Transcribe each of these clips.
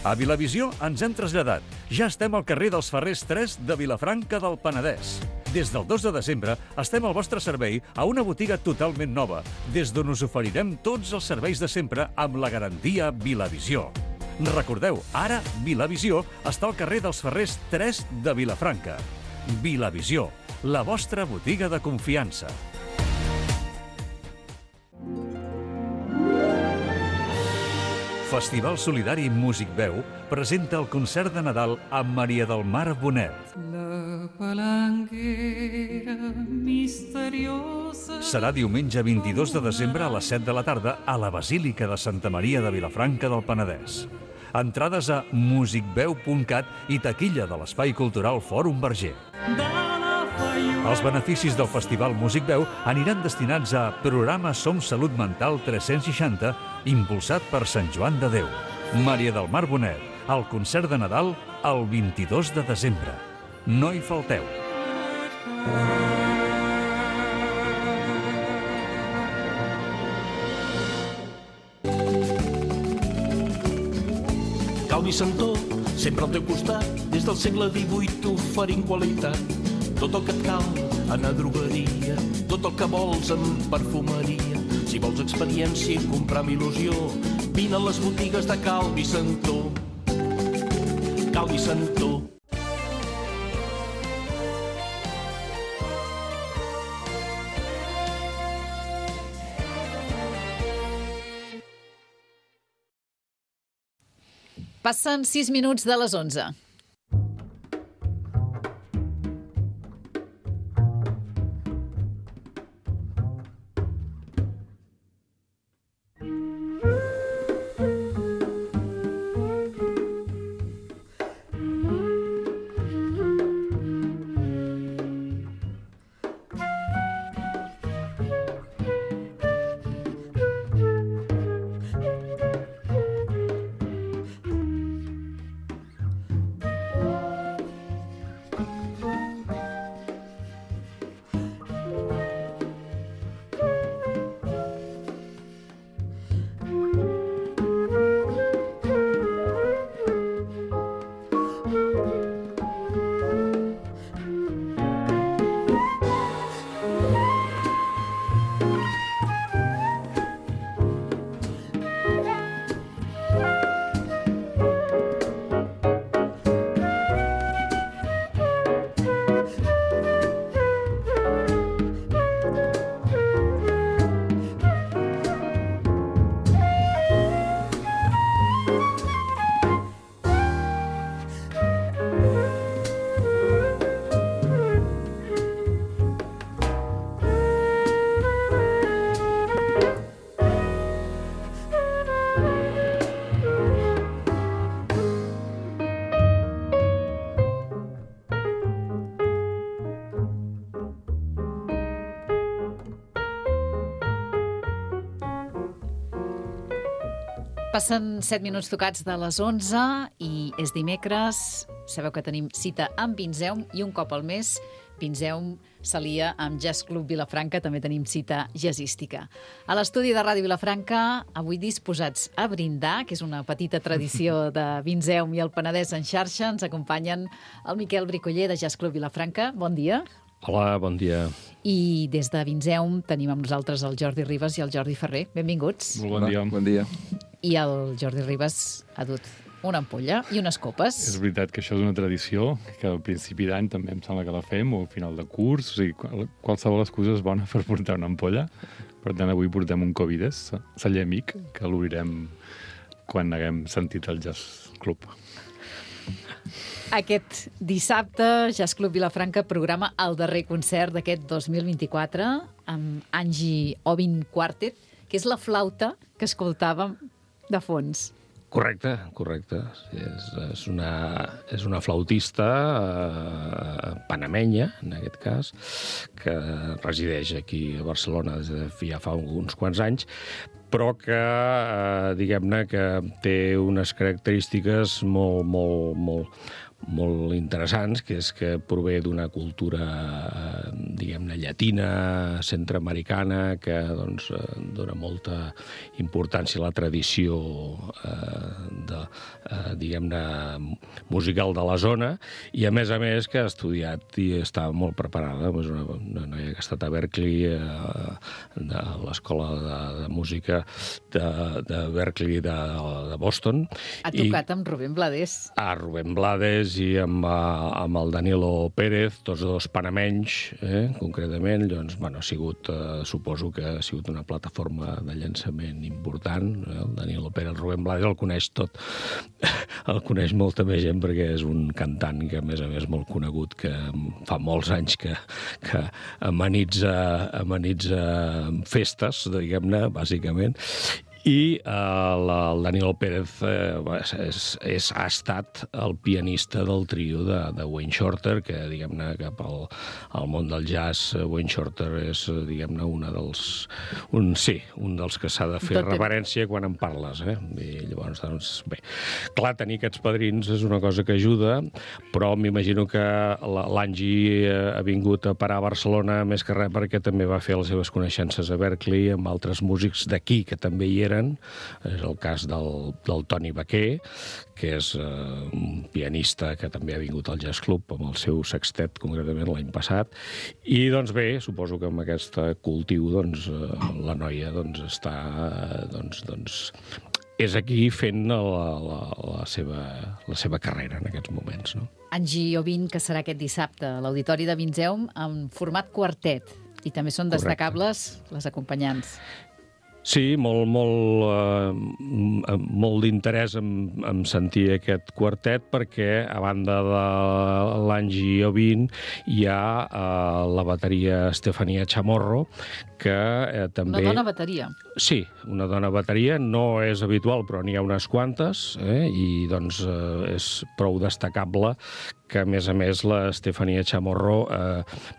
A Vilavisió ens hem traslladat. Ja estem al carrer dels Ferrers 3 de Vilafranca del Penedès. Des del 2 de desembre estem al vostre servei a una botiga totalment nova, des d'on us oferirem tots els serveis de sempre amb la garantia Vilavisió. Recordeu, ara Vilavisió està al carrer dels Ferrers 3 de Vilafranca. Vilavisió, la vostra botiga de confiança. Festival Solidari Músic Veu presenta el concert de Nadal amb Maria del Mar Bonet. La palanquera misteriosa. Serà diumenge 22 de desembre a les 7 de la tarda a la Basílica de Santa Maria de Vilafranca del Penedès. Entrades a musicveu.cat i taquilla de l'Espai Cultural Fòrum Verger. Els beneficis del Festival Músic Veu aniran destinats a programa Som Salut Mental 360, impulsat per Sant Joan de Déu. Maria del Mar Bonet, el concert de Nadal el 22 de desembre. No hi falteu. Calvi Santó, sempre al teu costat, des del segle XVIII oferint qualitat. Tot el que et cal en a drogueria, tot el que vols en perfumeria. Si vols experiència i comprar amb il·lusió, vine a les botigues de Calvi Santó. Calvi Santó. Passen 6 minuts de les 11. Passen 7 minuts tocats de les 11 i és dimecres. Sabeu que tenim cita amb Vinzeum i un cop al mes Vinzeum s'alia amb Jazz Club Vilafranca, també tenim cita jazzística. A l'estudi de Ràdio Vilafranca, avui disposats a brindar, que és una petita tradició de Vinzeum i el Penedès en xarxa, ens acompanyen el Miquel Bricoller de Jazz Club Vilafranca. Bon dia. Hola, bon dia. I des de Vinzeum tenim amb nosaltres el Jordi Ribas i el Jordi Ferrer. Benvinguts. Molt bon dia. Bon dia. I el Jordi Ribas ha dut una ampolla i unes copes. És veritat que això és una tradició, que al principi d'any també em sembla que la fem, o al final de curs, o sigui, qualsevol excusa és bona per portar una ampolla. Per tant, avui portem un Covides, celler amic, que l'obrirem quan haguem sentit el Jazz Club. Aquest dissabte, Jazz Club Vilafranca programa el darrer concert d'aquest 2024 amb Angie Ovin Quartet, que és la flauta que escoltàvem de fons. Correcte. Sí, és una flautista panamenya, en aquest cas, que resideix aquí a Barcelona des de ja fa uns quants anys, però que, diguem-ne, que té unes característiques molt molt interessants, que és que prové d'una cultura, diguem-ne, llatina, centreamericana, que doncs, dona molta importància a la tradició diguem-ne, musical de la zona, i a més que ha estudiat i està molt preparada. És una noia que ha estat a Berklee, de l'Escola de Música de Berklee de Boston. Ha tocat amb Rubén Blades. Rubén Blades i amb el Danilo Pérez, tots dos panamenys, concretament. Doncs, ha sigut, suposo que ha sigut una plataforma de llançament important. El Danilo Pérez, el Rubén Blades el coneix tot. El coneix molta més gent perquè és un cantant que, a més molt conegut, que fa molts anys que amenitza festes, diguem-ne, bàsicament. I el Danilo Pérez ha estat el pianista del trio de Wayne Shorter, que, diguem-ne, cap al món del jazz, Wayne Shorter és, diguem-ne, un dels que s'ha de fer reverència quan en parles. I llavors, doncs, bé, clar, tenir aquests padrins és una cosa que ajuda, però m'imagino que l'Angie ha vingut a parar a Barcelona més que res perquè també va fer les seves coneixences a Berklee amb altres músics d'aquí que també hi eren. És el cas del Toni Baquer, que és un pianista que també ha vingut al Jazz Club amb el seu sextet, concretament l'any passat. I, doncs bé, suposo que amb aquest cultiu la noia està és aquí fent la seva carrera en aquests moments. No? Angie Ovin, que serà aquest dissabte a l'Auditori de Vinzeum en format quartet, i també són destacables les acompanyants. Sí, molt d'interès en sentir aquest quartet, perquè a banda de l'Angie Ovin hi ha la bateria Estefania Chamorro, que també... Una dona bateria. Sí, una dona bateria. No és habitual, però n'hi ha unes quantes, i doncs és prou destacable que, a més, l'Estefania Chamorro,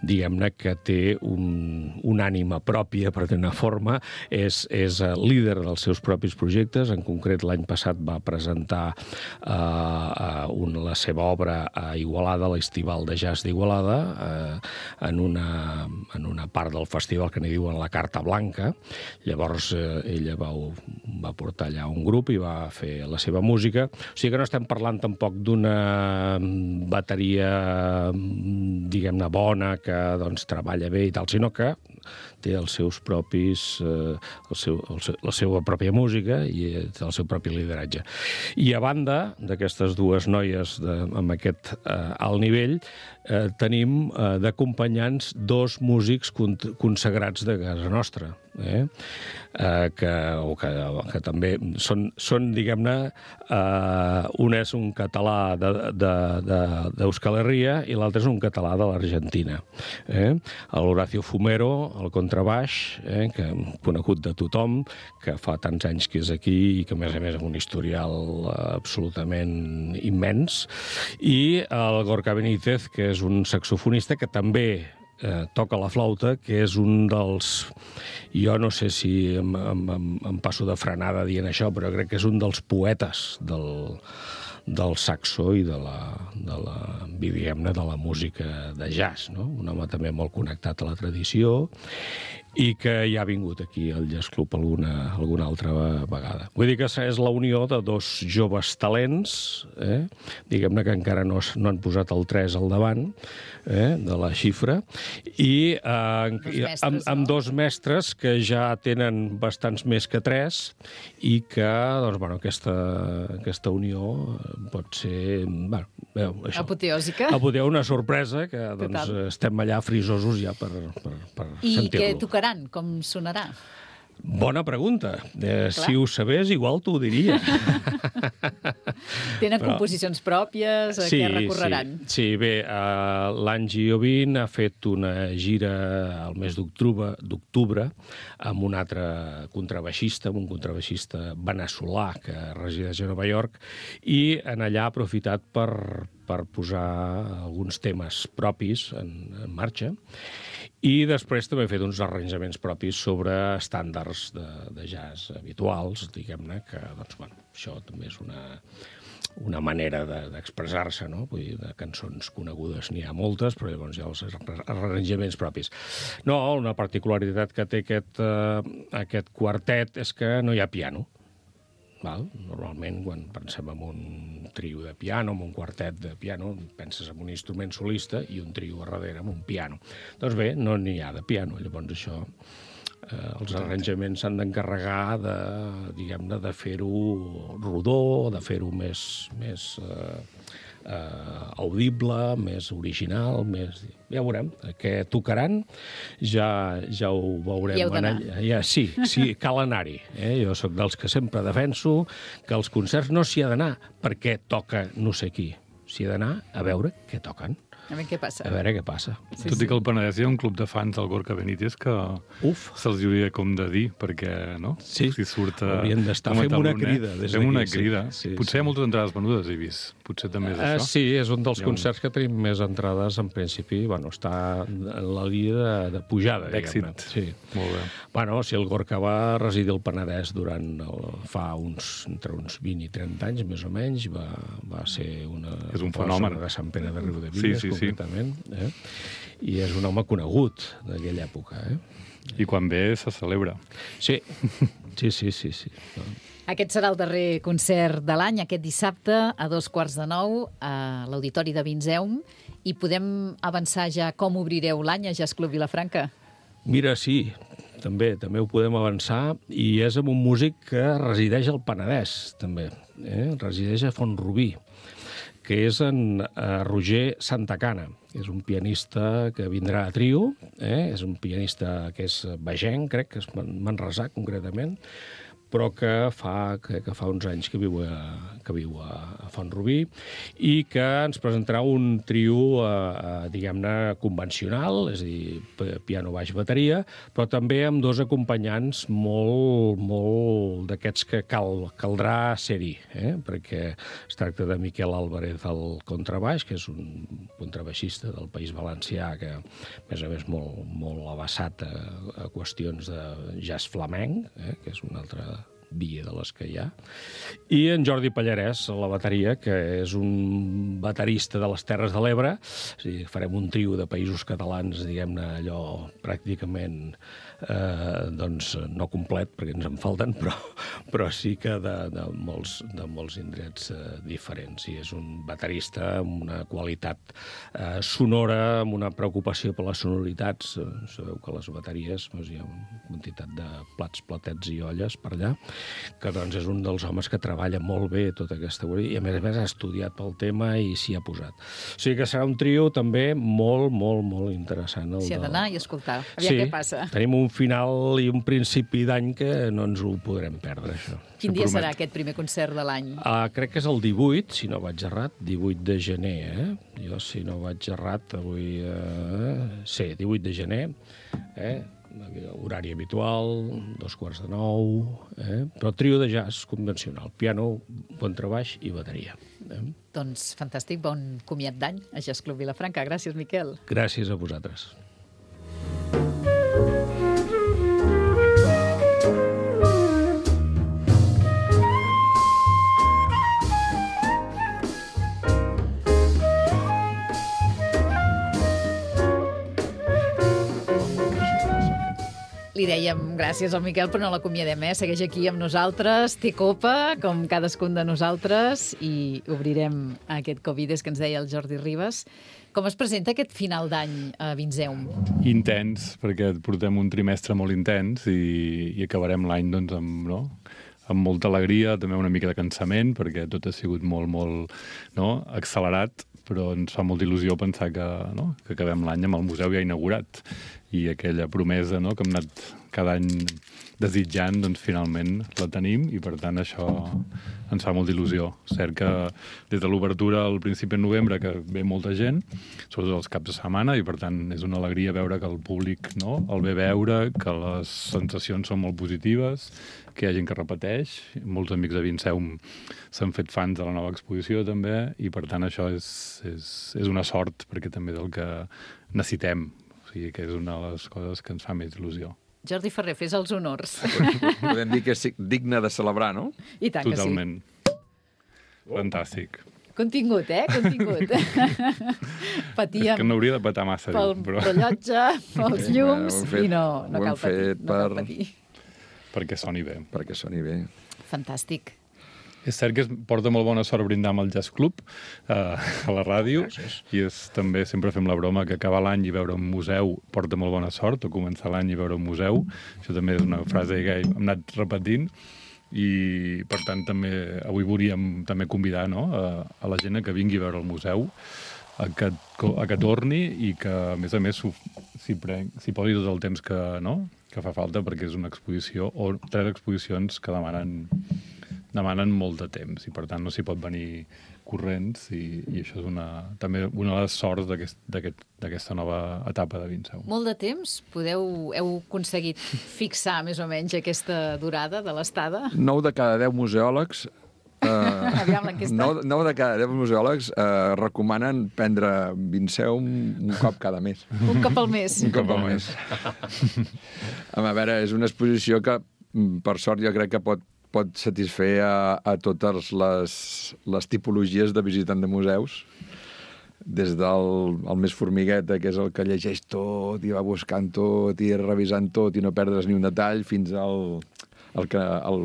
diguem-ne que té una ànima pròpia, per dir una forma, és líder dels seus propis projectes. En concret, l'any passat va presentar la seva obra a Igualada, a l'Estival de Jazz d'Igualada, en una part del festival que n'hi diuen la Carta Blanca. Llavors, ella va portar allà un grup i va fer la seva música. O sigui que no estem parlant tampoc d'una bateria, diguem-ne, bona, que doncs treballa bé i tal, sinó que té els seus propis, la seva pròpia música i el seu propi lideratge. I a banda d'aquestes dues noies amb aquest alt nivell, tenim d'acompanyants dos músics consagrats de casa nostra, que també són, diguem-ne, un és un català d'Euskal Herria i l'altre és un català de l'Argentina. L'Horacio Fumero, el contrabaix, que conegut de tothom, que fa tants anys que és aquí i que, a més amb un historial absolutament immens, i el Gorka Benítez, que és un saxofonista que també toca la flauta, que és un dels... Jo no sé si em passo de frenada dient això, però crec que és un dels poetes del saxo i de la música de jazz, no? Un home també molt connectat a la tradició i que ja ha vingut aquí al Jazz Club alguna altra vegada. Vull dir que és la unió de dos joves talents, diguem-ne que encara no han posat el 3 al davant de la xifra, i amb dos mestres que ja tenen bastants més que 3 i que, doncs, bueno, aquesta unió pot ser, bueno, això. Apoteòsica. Una sorpresa que, doncs, estem allà frisosos ja per sentir-lo. I què tocaran? Com sonarà? Bona pregunta. Si ho sabés, igual t'ho diria. Tenen composicions pròpies? A què recorreran? Sí, bé, l'Angie Ovin ha fet una gira al mes d'octubre amb un altre contrabaixista, amb un contrabaixista veneçolà que resideix a Nova York, i en allà ha aprofitat per posar alguns temes propis en marxa. I després també he fet uns arranjaments propis sobre estàndards de jazz habituals, diguem-ne, que, doncs, bueno, això també és una manera d'expressar-se, no? Vull dir, de cançons conegudes n'hi ha moltes, però llavors hi ha els arranjaments propis. No, una particularitat que té aquest quartet és que no hi ha piano. Val? Normalment, quan pensem en un trio de piano, en un quartet de piano, penses en un instrument solista i un trio a darrere amb un piano. Doncs bé, no n'hi ha de piano, llavors això... els arranjaments s'han d'encarregar de fer-ho rodó, de fer-ho més audible, més original, més... Ja veurem, què tocaran, ja ho veurem. Hi heu d'anar. Sí, cal anar-hi. Jo sóc dels que sempre defenso que als concerts no s'hi ha d'anar perquè toca no sé qui. S'hi ha d'anar a veure què toquen. A veure què passa. A veure què passa. Tot i que al Penedès hi ha un club de fans del Gorka Benítez que se'ls hauria com de dir, perquè, no? Sí, si surt haurien d'estar. Fem una crida. Fem una crida. Potser hi ha moltes entrades venudes, he vist. Potser també és això. Sí, és un dels concerts que tenim més entrades, en principi. Bueno, està en la línia de pujada, diguem-ne. D'èxit. Sí. Molt bé. Bueno, si el Gorka va residir al Penedès fa entre uns 20 i 30 anys, més o menys, va ser és un fenomen de Sant Pere de Riudebitlles, concretament. I és un home conegut d'aquella època. I quan ve se celebra. Sí. Aquest serà el darrer concert de l'any, aquest dissabte, a 8:45, a l'Auditori de Vinzeum. I podem avançar ja com obrireu l'any a Jazz Club Vilafranca? Mira, sí, també ho podem avançar, i és amb un músic que resideix al Penedès, també. Resideix a Font-rubí, que és en Roger Santacana. És un pianista que vindrà a trio, és un pianista que és vegenc, crec, que és manresà, concretament, però que fa uns anys que viu a Font-rubí, i que ens presentarà un trio, diguem-ne, convencional, és a dir, piano, baix, bateria, però també amb dos acompanyants molt d'aquests que caldrà ser-hi, perquè es tracta de Miquel Álvarez al contrabaix, que és un contrabaixista del País Valencià, que a més molt avançat a qüestions de jazz flamenc, que és una altra via de les que hi ha, i en Jordi Pallarès a la bateria, que és un baterista de les Terres de l'Ebre. És a dir, farem un trio de països catalans, diguem-ne, allò pràcticament no complet, perquè ens en falten, però sí que de molts indrets diferents. I és un baterista amb una qualitat sonora, amb una preocupació per les sonoritats. Sabeu que a les bateries hi ha una quantitat de plats, platets i olles per allà, que doncs és un dels homes que treballa molt bé tota aquesta teoria, i a més ha estudiat pel tema i s'hi ha posat. O sigui que serà un trio també molt interessant. S'hi ha d'anar i escoltar. Aviam què passa. Tenim un final i un principi d'any que no ens ho podrem perdre, això. Quin dia serà aquest primer concert de l'any? Crec que és el 18, si no vaig errat, 18 de gener, Jo, si no vaig errat, avui... Sí, 18 de gener, horari habitual, 8:45, però trio de jazz convencional, piano, contrabaix i bateria. Doncs fantàstic, bon comiat d'any a Jazz Club Vilafranca. Gràcies, Miquel. Gràcies a vosaltres. Li dèiem gràcies al Miquel, però no l'acomiadem, Segueix aquí amb nosaltres, té copa, com cadascun de nosaltres, i obrirem aquest Covides que ens deia el Jordi Ribas. Com es presenta aquest final d'any a Vinzeum? Intens, perquè portem un trimestre molt intens i acabarem l'any doncs, amb molta alegria, també una mica de cansament, perquè tot ha sigut molt accelerat, però ens fa molta il·lusió pensar que acabem l'any amb el museu ja inaugurat, i aquella promesa que hem anat cada any desitjant, doncs finalment la tenim, i per tant això ens fa molta il·lusió. Cert que des de l'obertura al principi de novembre que ve molta gent, sobretot els caps de setmana, i per tant és una alegria veure que el públic el ve veure, que les sensacions són molt positives, que hi ha gent que repeteix. Molts amics de Vinzeum s'han fet fans de la nova exposició també, i per tant això és una sort, perquè també és el que necessitem. O sigui que és una de les coses que ens fa més il·lusió. Jordi Ferrer, fes els honors. Podem dir que és digne de celebrar, no? I tant Totalment. que sí. Fantàstic. Contingut, Contingut. Patíem És que no hauria de patar massa. pel rellotge, pels llums, i no cal patir. No cal patir. Perquè soni bé. Perquè soni bé. Fantàstic. És cert que es porta molt bona sort brindar amb el Jazz Club a la ràdio. Gràcies. I també sempre fem la broma que acabar l'any i veure un museu porta molt bona sort, o començar l'any i veure un museu. Això també és una frase que hem anat repetint. I, per tant, també avui volíem també convidar, no, a la gent que vingui a veure el museu, a que torni i que, a més, s'hi posi tot el temps que fa falta, perquè és una exposició, o 3 exposicions que demanen molt de temps, i per tant no s'hi pot venir corrents, i això és també una de les sorts d'aquesta nova etapa de Vinseu. Molt de temps? Heu aconseguit fixar més o menys aquesta durada de l'estada? 9 de cada 10 museòlegs Aviam l'enquesta. 9 de cada 10 museòlegs recomanen prendre Vinseu un cop cada mes. Un cop al mes. Un cop al mes. A veure, és una exposició que, per sort, jo crec que pot satisfer a totes les tipologies de visitant de museus, des del més formigueta, que és el que llegeix tot i va buscant tot i revisant tot i no perdre's ni un detall, fins el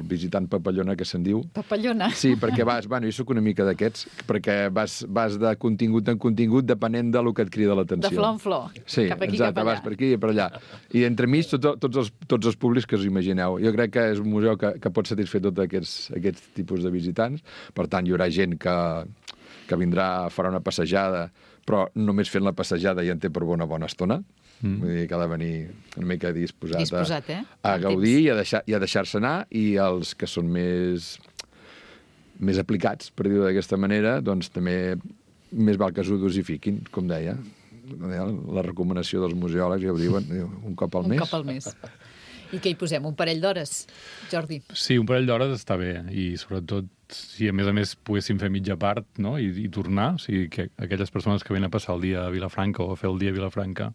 visitant papallona, que se'n diu. Papallona? Sí, perquè jo soc una mica d'aquests, perquè vas de contingut en contingut depenent del que et crida l'atenció. De flor en flor, sí, cap aquí, exacte, cap allà. vas per aquí i per allà. I entremig tots els públics que us imagineu. Jo crec que és un museu que pot satisfer tots aquests tipus de visitants. Per tant, hi haurà gent que vindrà, farà una passejada, però només fent la passejada ja en té per una bona estona. Vull dir que ha de venir una mica disposat a gaudir i a deixar-se anar, i els que són més aplicats, per dir-ho d'aquesta manera, doncs també més val que s'ho dosifiquin, com deia. La recomanació dels museòlegs, ja ho diuen, un cop al mes. Un cop al mes. I què hi posem? Un parell d'hores, Jordi? Sí, un parell d'hores està bé, i sobretot si a més poguéssim fer mitja part, no? I tornar, o sigui, que aquelles persones que venen a passar el dia a Vilafranca o a fer el dia a Vilafranca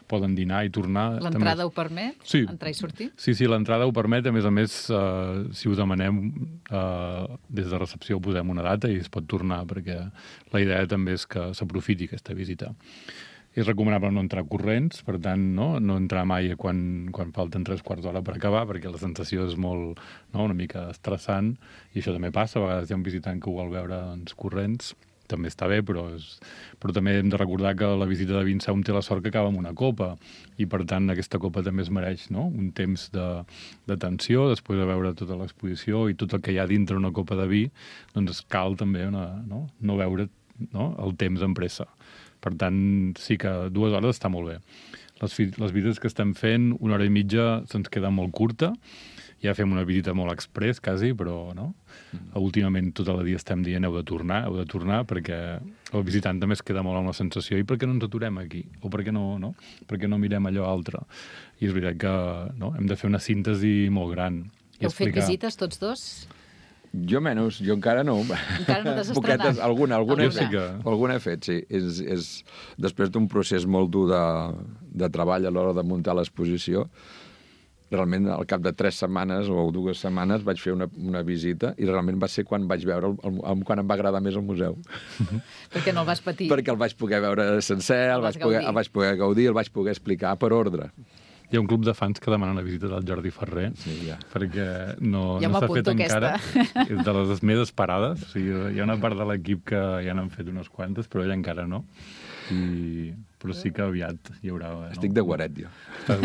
poden dinar i tornar. L'entrada ho permet? Sí. Entrar i sortir? Sí, l'entrada ho permet. A més, si ho demanem, des de recepció posem una data i es pot tornar, perquè la idea també és que s'aprofiti aquesta visita. És recomanable no entrar corrents, per tant, no entrar mai quan falten 3/4 d'hora per acabar, perquè la sensació és molt, una mica estressant, i això també passa. A vegades hi ha un visitant que ho vol veure corrents, també està bé, però també hem de recordar que la visita de Vinseu té la sort que acaba amb una copa, i per tant aquesta copa també es mereix un temps d'atenció, després de veure tota l'exposició i tot el que hi ha dintre una copa de vi, doncs cal també no veure el temps amb pressa. Per tant, sí que 2 hores està molt bé. Les visites que estem fent, 1 hora i mitja se'ns queda molt curta. Ja fem una visita molt express, quasi, però últimament tot el dia estem dient heu de tornar, perquè el visitant també es queda molt amb la sensació, i per què no ens aturem aquí? O per què no mirem allò altre? I és veritat que hem de fer una síntesi molt gran. Heu fet visites tots dos? Jo menys, jo encara no. Encara no t'has estrenat? Alguna he fet, sí. És després d'un procés molt dur de treball a l'hora de muntar l'exposició. Realment, al cap de 3 setmanes o 2 setmanes vaig fer una visita, i realment va ser quan vaig veure quan em va agradar més el museu. Perquè no el vas patir. Perquè el vaig poder veure sencer, el vaig poder gaudir, el vaig poder explicar per ordre. Hi ha un club de fans que demanen la visita del Jordi Ferrer, perquè no s'ha fet encara. És de les més esperades. O sigui, hi ha una part de l'equip que ja n'han fet unes quantes, però ella encara no. Però sí que aviat hi haurà... Estic de guaret, jo. Estàs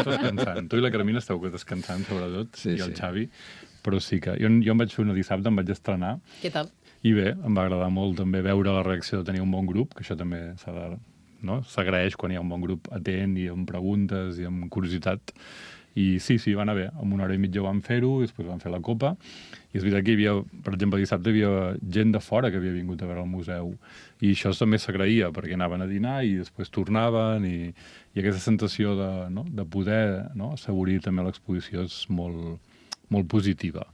descansant. Tu i la Carmina esteu descansant, sobretot, i el Xavi. Però sí que... Jo em vaig fer una dissabte, em vaig estrenar. Què tal? I bé, em va agradar molt també veure la reacció de tenir un bon grup, que això també s'ha de... s'agraeix quan hi ha un bon grup atent i amb preguntes i amb curiositat. I sí, va anar bé. En 1 hora i mitja vam fer-ho, i després vam fer la copa. I és veritat que hi havia, per exemple, dissabte hi havia gent de fora que havia vingut a veure el museu. I això també s'agraïa, perquè anaven a dinar i després tornaven, i aquesta sensació de poder assaborir també l'exposició és molt, molt positiva.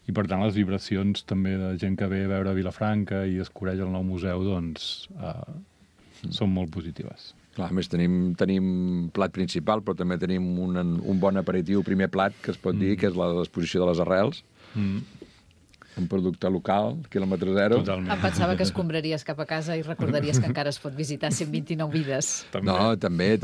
I per tant les vibracions també de gent que ve a veure Vilafranca i descobreix el nou museu, doncs són molt positives. Clar, a més, tenim plat principal, però també tenim un bon aperitiu, primer plat, que es pot dir, que és l'exposició de les arrels. un producte local, quilòmetre zero. Totalment. Em pensava que escombraries cap a casa i recordaries que encara es pot visitar 129 vides. També. No, també,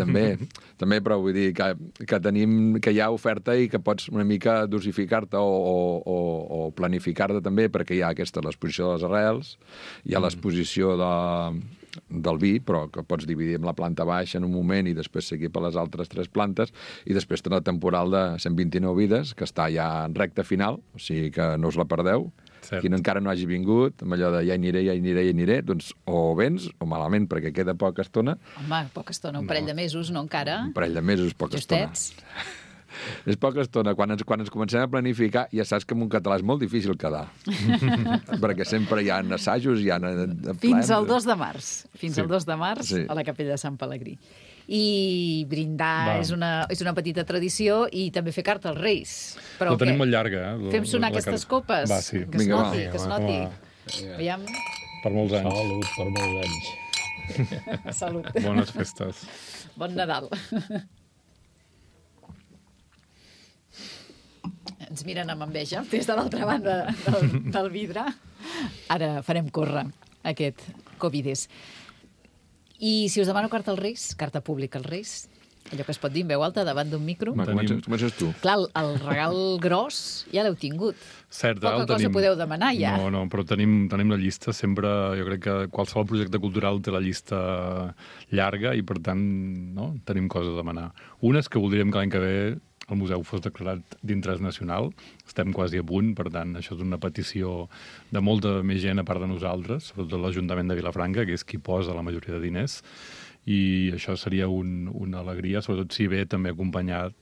però vull dir que tenim, que hi ha oferta i que pots una mica dosificar-te o planificar-te també, perquè hi ha l'exposició de les arrels, hi ha l'exposició del vi, però que pots dividir amb la planta baixa en un moment i després seguir per les altres 3 plantes, i després té la temporal de 129 vides, que està ja en recta final, o sigui que no us la perdeu. Cert. Qui no encara no hagi vingut, amb allò de ja hi aniré, doncs o vens o malament, perquè queda poca estona. Home, poca estona, un parell de mesos, no encara? Un parell de mesos, poca Justets. estona. És poca estona. Quan ens comencem a planificar, ja saps que en un català és molt difícil quedar. Perquè sempre hi ha assajos, hi ha... Fins al 2 de març. Fins al 2 de març Sí. a la Capella de Sant Pelegrí. I brindar és una petita tradició i també fer carta als Reis. Però Ho tenim molt llarga, eh? Fem sonar aquestes copes? Va, sí. Que es Vinga, noti, va. que es noti. Aviam. Per molts anys. Salut per molts anys. Salut. Bones festes. Bon Nadal. Ens miren amb enveja des de l'altra banda del vidre. Ara farem córrer aquest Covides. I si us demano carta als Reis, carta pública als Reis, allò que es pot dir en veu alta davant d'un micro, Comences tu. clar, el regal gros ja l'heu tingut. Cert, Poca el cosa tenim. podeu demanar ja. No, però tenim la llista. Sempre, jo crec que qualsevol projecte cultural té la llista llarga i, per tant, no, tenim coses a demanar. Una és que voldríem que l'any que ve el museu fos declarat d'interès nacional. Estem quasi a punt, per tant, això és una petició de molta més gent a part de nosaltres, sobretot l'Ajuntament de Vilafranca, que és qui posa la majoria de diners, i això seria una alegria, sobretot si ve també acompanyat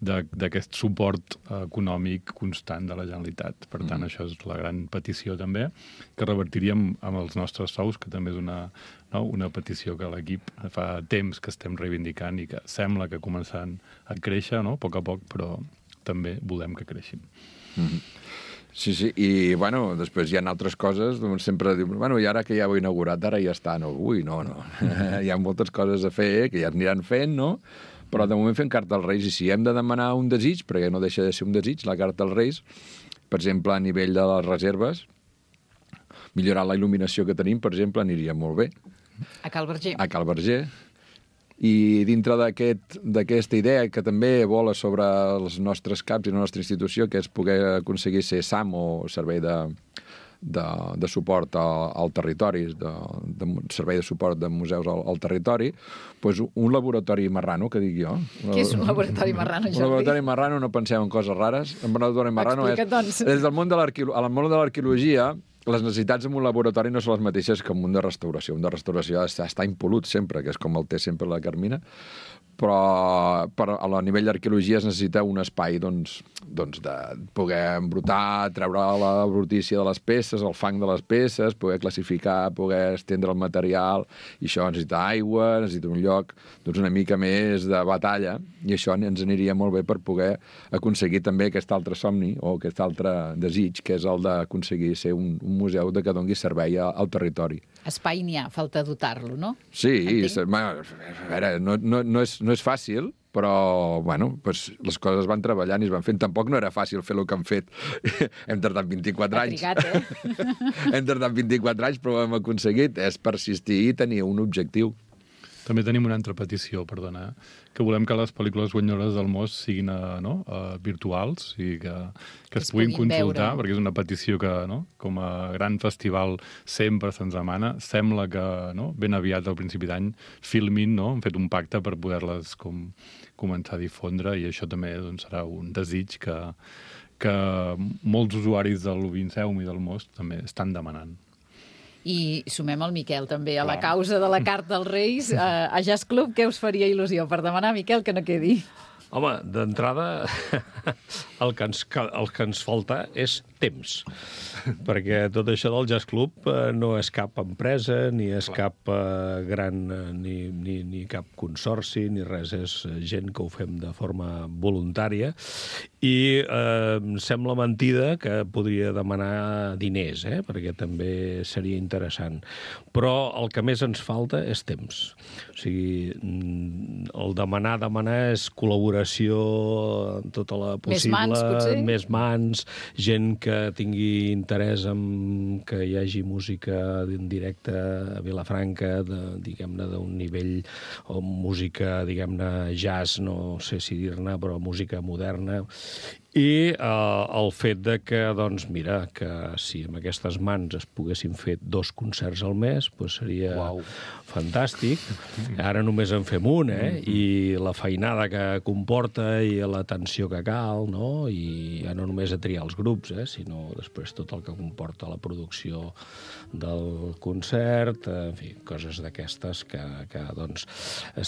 d'aquest suport econòmic constant de la Generalitat. Per tant, això és la gran petició també, que revertiríem amb els nostres sous, que també és una petició que l'equip fa temps que estem reivindicant i que sembla que començant a créixer, no? A poc, però també volem que creixin. Sí, i, bueno, després hi ha altres coses, doncs sempre diu, bueno, i ara que ja ho he inaugurat, ara ja està, no, no. Hi ha moltes coses a fer, que ja es aniran fent, no? Però de moment fem carta als Reis, i si hem de demanar un desig, perquè no deixa de ser un desig, la carta als Reis, per exemple, a nivell de les reserves, millorar la il·luminació que tenim, per exemple, aniria molt bé. A Cal Verger. A Cal Verger. I dintre d'aquesta idea que també vola sobre els nostres CAPs i la nostra institució, que és poder aconseguir ser SAM o servei de suport al territori, servei de suport de museus al territori, doncs un laboratori marrano, que dic jo. Què és un laboratori marrano, Jordi? Un laboratori marrano, no penseu en coses rares. Un laboratori marrano Explica't, doncs. des del món de l'arqueologia, les necessitats en un laboratori no són les mateixes que en un de restauració. Un de restauració està impolut sempre, que és com el té sempre la Carmina, però a nivell d'arqueologia es necessita un espai doncs, de poder embrutar, treure la brutícia de les peces, el fang de les peces, poder classificar, poder estendre el material, i això necessita aigua, necessita un lloc una mica més de batalla, i això ens aniria molt bé per poder aconseguir també aquest altre somni o aquest altre desig, que és el d'aconseguir ser un museu que doni servei al territori. Espai n'hi ha, falta dotar-lo, no? Sí, a veure, no és fàcil, però, bueno, pues, les coses van treballant i es van fent. Tampoc no era fàcil fer el que han fet. Hem tardat 24 anys. Ha trigat, Hem tardat 24 anys, però ho hem aconseguit. És persistir i tenir un objectiu. També tenim una altra petició, perdona, que volem que les pel·lícules guanyadores del Most siguin virtuals i que es puguin consultar, perquè és una petició que, com a gran festival, sempre se'ns demana. Sembla que ben aviat, al principi d'any, Filmin hem fet un pacte per poder-les començar a difondre, i això també serà un desig que molts usuaris del Vinceum i del Most també estan demanant. I sumem el Miquel també a la causa de la carta als Reis. A Jazz Club, què us faria il·lusió per demanar, Miquel, que no quedi? Home, d'entrada, el que ens falta és temps, perquè tot això del Jazz Club no és cap empresa, ni és cap gran, ni cap consorci, ni res, és gent que ho fem de forma voluntària, i em sembla mentida que podria demanar diners, perquè també seria interessant. Però el que més ens falta és temps. O sigui, el demanar és col·laboració en tota la possible... Més potser? més mans, gent que tingui interès en que hi hagi música en directe a Vilafranca, diguem-ne, d'un nivell, o música, diguem-ne, jazz, no sé si dir-ne, però música moderna. I el fet de que, doncs, mira, que si amb aquestes mans es poguessin fer 2 concerts al mes, doncs seria fantàstic. Ara només en fem un, i la feinada que comporta i l'atenció que cal, no? I ja no només a triar els grups, sinó després tot el que comporta la producció del concert, en fi, coses d'aquestes que doncs,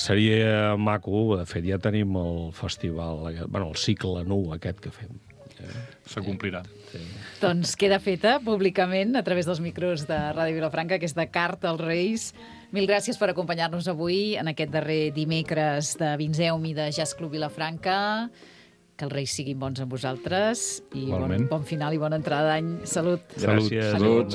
seria maco. De fet, ja tenim el festival, el cicle nu aquest que fem. S'acomplirà. Sí. Doncs queda feta públicament a través dels micros de Ràdio Vilafranca aquesta carta als Reis. Mil gràcies per acompanyar-nos avui en aquest darrer dimecres de Vinzeum i de Jazz Club Vilafranca. Que els Reis siguin bons amb vosaltres i bon final i bona entrada d'any. Salut. Gràcies. Salut.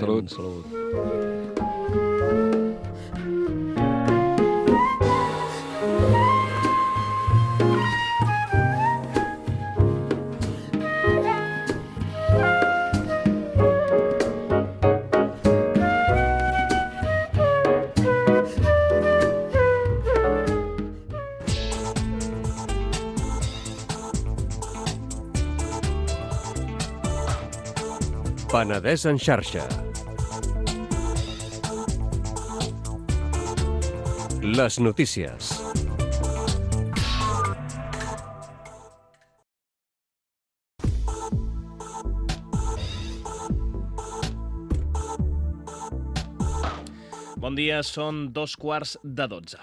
Penedès en xarxa. Les notícies. Bon dia, són 2:15.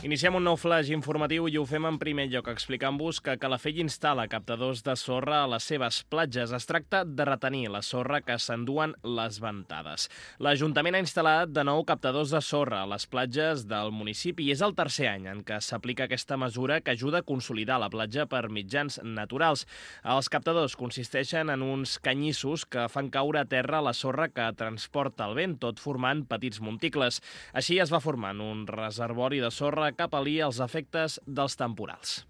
Iniciem un nou flash informatiu i ho fem en primer lloc explicant-vos que Calafell instal·la captadors de sorra a les seves platges. Es tracta de retenir la sorra que s'enduen les ventades. L'Ajuntament ha instal·lat de nou captadors de sorra a les platges del municipi i és el tercer any en què s'aplica aquesta mesura que ajuda a consolidar la platja per mitjans naturals. Els captadors consisteixen en uns canyissos que fan caure a terra la sorra que transporta el vent, tot formant petits monticles. Així es va formant un reservori de sorra que pal·lia els efectes dels temporals.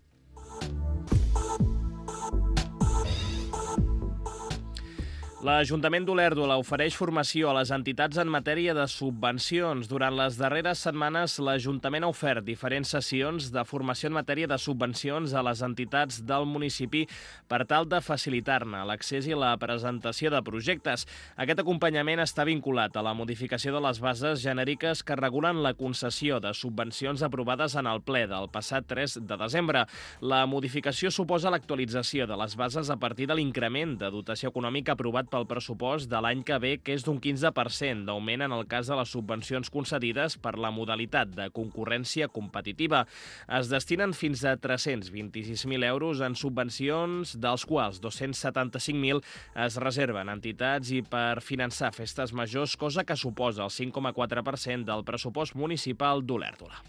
L'Ajuntament d'Olèrdola ofereix formació a les entitats en matèria de subvencions. Durant les darreres setmanes, l'Ajuntament ha ofert diferents sessions de formació en matèria de subvencions a les entitats del municipi per tal de facilitar-ne l'accés i la presentació de projectes. Aquest acompanyament està vinculat a la modificació de les bases genèriques que regulen la concessió de subvencions aprovades en el ple del passat 3 de desembre. La modificació suposa l'actualització de les bases a partir de l'increment de dotació econòmica aprovat pel pressupost de l'any que ve, que és d'un 15% d'augment en el cas de les subvencions concedides per la modalitat de concurrència competitiva. Es destinen fins a 326.000 euros en subvencions, dels quals 275.000 es reserven a entitats i per finançar festes majors, cosa que suposa el 5,4% del pressupost municipal d'Olèrdola.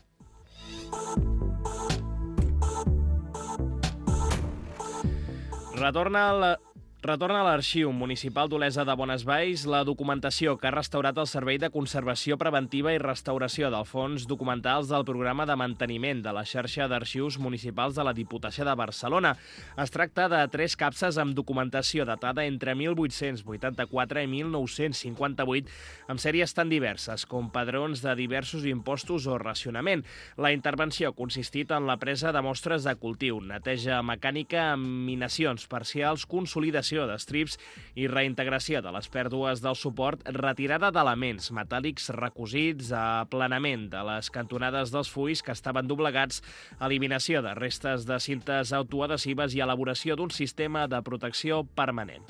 Retorna a l'Arxiu Municipal d'Olesa de Bonesvalls la documentació que ha restaurat el Servei de Conservació Preventiva i Restauració del Fons Documentals del Programa de Manteniment de la xarxa d'arxius municipals de la Diputació de Barcelona. Es tracta de 3 capses amb documentació datada entre 1884 i 1958, amb sèries tan diverses com padrons de diversos impostos o racionament. La intervenció ha consistit en la presa de mostres de cultiu, neteja mecànica amb minacions parcials, consolidació d'estrips i reintegració de les pèrdues del suport, retirada d'elements metàl·lics recosits, aplanament de les cantonades dels fulls que estaven doblegats, eliminació de restes de cintes autoadhesives i elaboració d'un sistema de protecció permanent.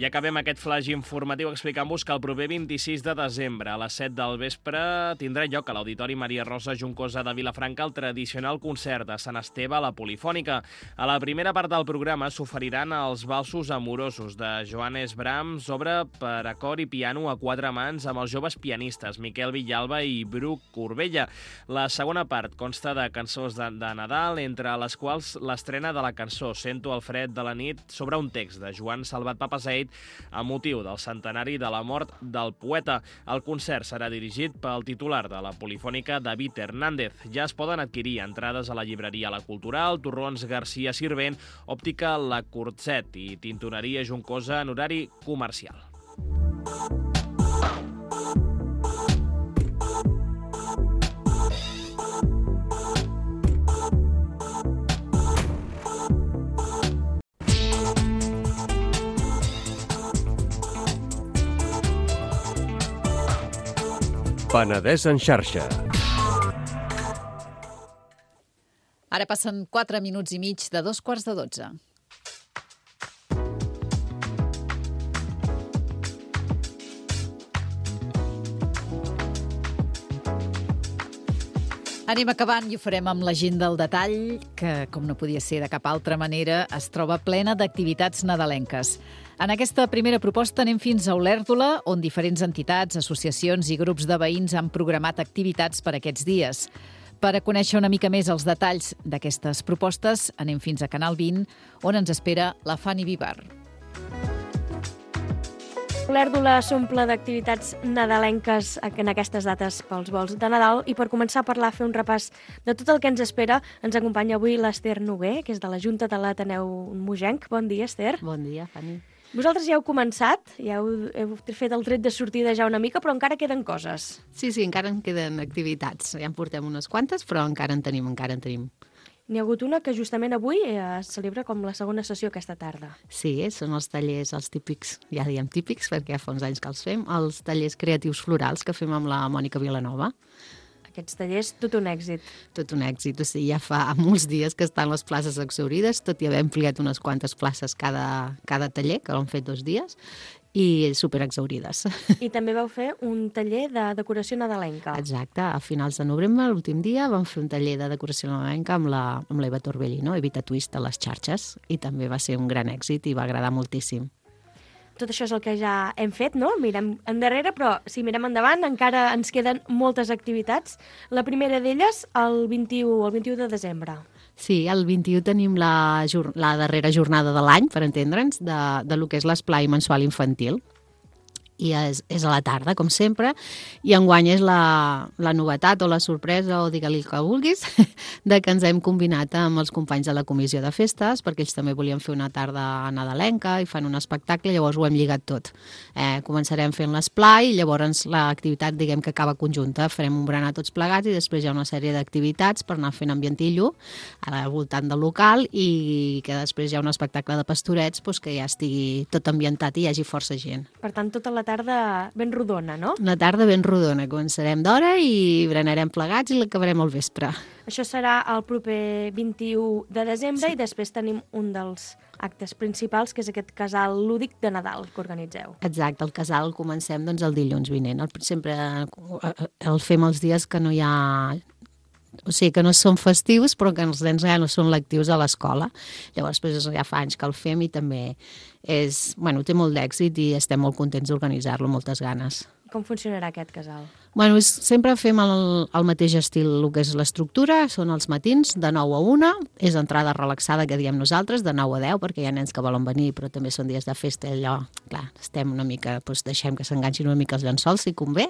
I acabem aquest flash informatiu explicant-vos que el proper 26 de desembre a les 7 del vespre tindrà lloc a l'Auditori Maria Rosa Juncosa de Vilafranca el tradicional concert de Sant Esteve a la Polifònica. A la primera part del programa s'oferiran els valsos amorosos de Johannes Brahms, obra per a cor i piano a 4 mans amb els joves pianistes Miquel Villalba i Bruc Corbella. La segona part consta de cançons de Nadal, entre les quals l'estrena de la cançó Sento el fred de la nit sobre un text de Joan Salvat Papaseit a motiu del centenari de la mort del poeta. El concert serà dirigit pel titular de la Polifònica, David Hernández. Ja es poden adquirir entrades a la llibreria La Cultural, Torrons Garcia Sirvent, Òptica La Curtset i Tintoreria Juncosa en horari comercial. Penedès en xarxa. Ara passen 4 minuts i mig de 2:45. Anem acabant i ho farem amb l'agenda al detall, que, com no podia ser de cap altra manera, es troba plena d'activitats nadalenques. En aquesta primera proposta anem fins a Olèrdola, on diferents entitats, associacions i grups de veïns han programat activitats per aquests dies. Per a conèixer una mica més els detalls d'aquestes propostes, anem fins a Canal 20, on ens espera la Fanny Vivar. Olèrdola s'omple d'activitats nadalenques en aquestes dates pels vols de Nadal i per començar a parlar, fer un repàs de tot el que ens espera, ens acompanya avui l'Ester Noguer, que és de la Junta de l'Ateneu Mogenc. Bon dia, Ester. Bon dia, Fanny. Vosaltres ja heu començat, ja heu fet el tret de sortida ja una mica, però encara queden coses. Sí, encara en queden activitats. Ja en portem unes quantes, però encara en tenim. N'hi ha hagut una que justament avui es celebra com la segona sessió aquesta tarda. Sí, són els tallers, els típics, ja diem típics, perquè fa uns anys que els fem, els tallers creatius florals que fem amb la Mònica Vilanova. Aquests tallers, tot un èxit. Tot un èxit, o sigui, ja fa molts dies que estan les places exhaurides, tot i haver ampliat unes quantes places cada taller, que l'han fet 2 dies, i superexhaurides. I també vau fer un taller de decoració nadalenca. Exacte, a finals de novembre, l'últim dia, vam fer un taller de decoració nadalenca amb l'Eva Torbellino, Evita Twist a les xarxes, i també va ser un gran èxit i va agradar moltíssim. Tot això és el que ja hem fet, no? Mirem endarrere, però si mirem endavant encara ens queden moltes activitats. La primera d'elles, el 21 de desembre. Sí, el 21 tenim la darrera jornada de l'any, per entendre'ns, de lo que és l'esplai mensual infantil. I és a la tarda, com sempre, i enguany és la novetat o la sorpresa, o digue-li el que vulguis, de que ens hem combinat amb els companys de la comissió de festes, perquè ells també volien fer una tarda nadalenca i fan un espectacle, llavors ho hem lligat tot. Començarem fent l'esplai, llavors l'activitat, diguem que acaba conjunta, farem un berenar tots plegats i després hi ha una sèrie d'activitats per anar fent ambientillo al voltant del local i que després hi ha un espectacle de pastorets que ja estigui tot ambientat i hi hagi força gent. Per tant, tota la tarda ben rodona, no? Una tarda ben rodona. Començarem d'hora i berenarem plegats i l'acabarem al vespre. Això serà el proper 21 de desembre i després tenim un dels actes principals, que és aquest casal lúdic de Nadal que organitzeu. Exacte, el casal el comencem el dilluns vinent. Sempre el fem els dies que no hi ha... O sigui, que no són festius, però que els nens ja no són lectius a l'escola. Llavors, ja fa anys que el fem i també té molt d'èxit i estem molt contents d'organitzar-lo, moltes ganes. Com funcionarà aquest casal? Sempre fem el mateix estil, el que és l'estructura, són els matins, de 9 a 1, és entrada relaxada, que diem nosaltres, de 9 a 10, perquè hi ha nens que volen venir, però també són dies de festa, allò, clar, estem una mica, deixem que s'enganxin una mica els llençols, si convé,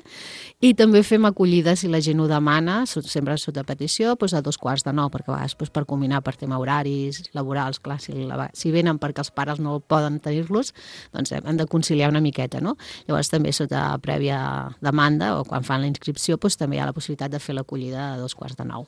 i també fem acollida, si la gent ho demana, sempre sota petició, a 8:45, perquè a vegades per combinar per tema horaris laborals, clar, si venen perquè els pares no poden tenir-los, doncs hem de conciliar una miqueta, no? Llavors també sota prèvia demanda, o quan fan la inscripció, també hi ha la possibilitat de fer l'acollida a 8:45.